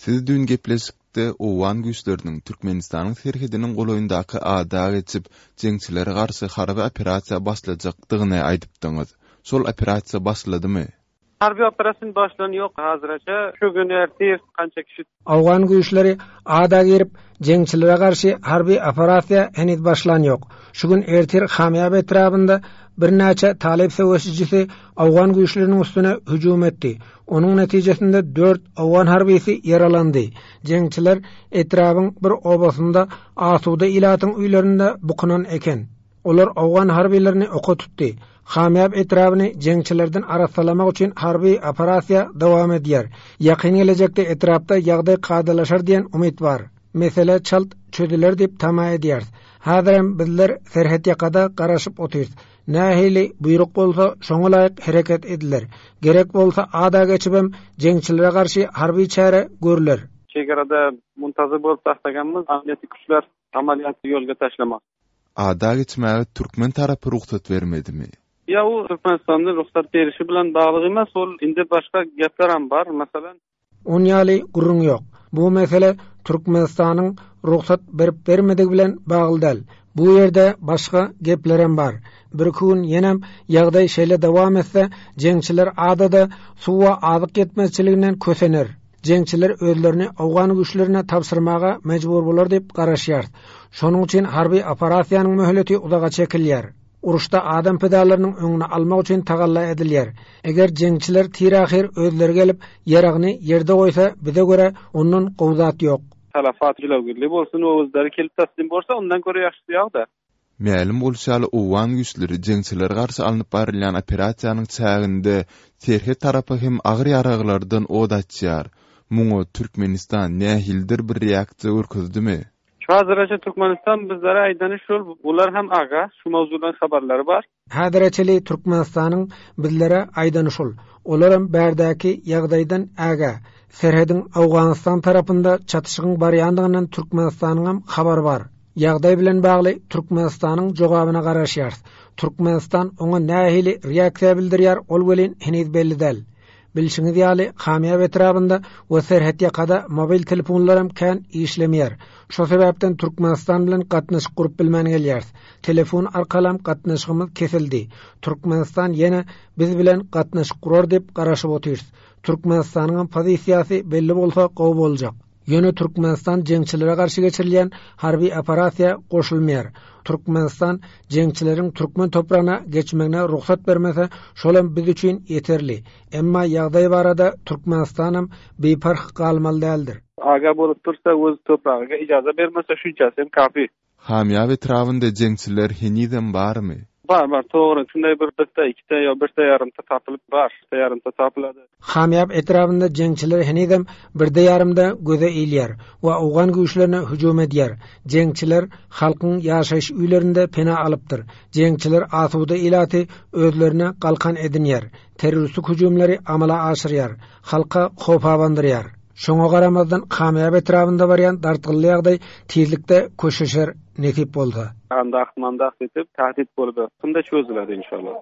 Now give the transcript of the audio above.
Siz düýn gepleşikde owgan güýçleriniň Türkmenistanyň serhediniň golaýyndaky ada geçip, jeňçilere garşy harby operasiýa başlajakdygyny aýdypdyňyz. Şol operasiýa başladymy? Harby operasiýa başlany ýok haziraça. Şu gün ertir kança kişi. Owgan güýçleri ada girip, jeňçilere garşy harby operasiýa heniz başlan ýok. Şu gün ertir Hamýap etrabynda birnäçe talyp söweşijisi owgan güýçleriniň üstüne hüjüm etdi. Onuň netijesinde dört owgan harbysy ýaralandy. Jeňçiler etrabyň bir obasynda asuda ilatyň öýlerinde bukunan eken. Olar owgan harbylaryny oka tutdy. Hamýap etrabyny jeňçilerden arassalamak üçin harby operasiýa dowam edýär. Ýakyn gelejekde etrapda ýagdaý kadalaşar diýen umyt bar. Mesele çalt çözüler diýip tama edýäris. Häzirem bizler serhetýakada garaşyp otyrys. Nähili buýruk bolsa, şoňa laýyk hereket ediler. Gerek bolsa ada geçibem jeňçilere garşy harby çäre görler. Çegarada muntazyr bolup taslaganmyz, amniýeti güçler amalýaty ýolga taşlamak. Ada geçmäge türkmen tarapy rugsat bermedimi? Ýa u Türkmenistanda rugsat berişi bilen bagly emas, ol indi başga geplerem bar, meselem. On ýaly gürrüň ýok. Bu mesele Türkmenistanyň rugsat berip-bermedigi bilen bagly däl. Bu ýerde başga geplerem bar. Birki gün ýenem ýagdaý şeýle dowam etse, jeňçiler adada suw we azyk ýetmezçiliginden kösener. Jeňçiler özlerini owgan güýçlerine tabşyrmaga mejbur bolar diýip garaşýarys. Şonuň üçin harby operasiýanyň möhleti uzaga çekilýär. Uruşda adam pidalarynyň öňüni almak üçin tagalla edilýär. Eger jeňçiler tir-ahyr özleri gelip, ýaragyny ýerde goýsa, bize görä, ondan gowy zat ýok. Talafat jilawgirli bolsun we özleri kelip taslim bolsa, ondan görä ýagşysy ýok-da. Mälim bolşy ýaly, owgan güýçleri jeňçilere garşy alnyp barylýan operasiýanyň çäginde serhet tarapa hem agyr ýaraglardan ot açýar. Muňa Türkmenistan nähilidir bir reaksiýa görkezdimi? Şu haziraça Türkmenistan bizlere aýdany şul, bular hem aga, şu mowzudan habarlary bar. Häzire çeli Türkmenistanyň bizlere aýdany şul, olaram bärdäki ýagdaýdan ägä. Serhediň Owganystan tarapynda çatyşygyň barýandygyndan Türkmenistanyňam habary bar. Ýagdaý bilen bagly Türkmenistanyň jogabyna garaşýarys. Türkmenistan oňa nähili reaksiýa bildirýär, ol welin heniz belli däl. Bilşiňiz ýaly, Kamýap etrabynda we serhetýakada mobil telefonlaram kän işlemeýär. Şo sebäpden Türkmenistan bilen gatnaşyk gurup bilmän gelýäris. Telefon arkalam gatnaşygymyz kesildi. Türkmenistan ýene biz bilen gatnaşyk gurar diýip garaşyp otyrys. Türkmenistanyňam pozisiýasy belli bolsa gowy boljak. Ýöne Türkmenistan jeňçilere garşy geçirilýän harby operasiýa goşulmaýar. Türkmenistan jeňçileriň türkmen topragyna geçmegine rugsat bermese, şolam biz üçin ýeterli. Emma ýagdaý barada Türkmenistanam biparh galmaly däldir. Aga bolup dursa öz topragyga ijaza bermese şunçasy hem kafi. Hamýap etrabynda jeňçiler henizem barmy? Bar bar dogry şunday bir birde ikide ýa birde ýarymda tapylyp bar birde ýarymda tapylady. Hamýap etrabynda jeňçiler henizem birde ýarymda göze ilýär we owgan güýçlerine hüjüm edýär. Jeňçiler halkyň ýaşaýyş öýlerinde pena alypdyr. Jeňçiler asuda ilaty özlerine galkan edinýär. Terroristik hüjümleri amala aşyrýar. Halka howp abandyrýar. Şoňa garamazdan Kamýap etrabynda barýan dartgynly ýagdaý tizlikde köşeşer nesip bolsa. Andak mandak diýip tähdit boldy. Şunda çözüler inşallah.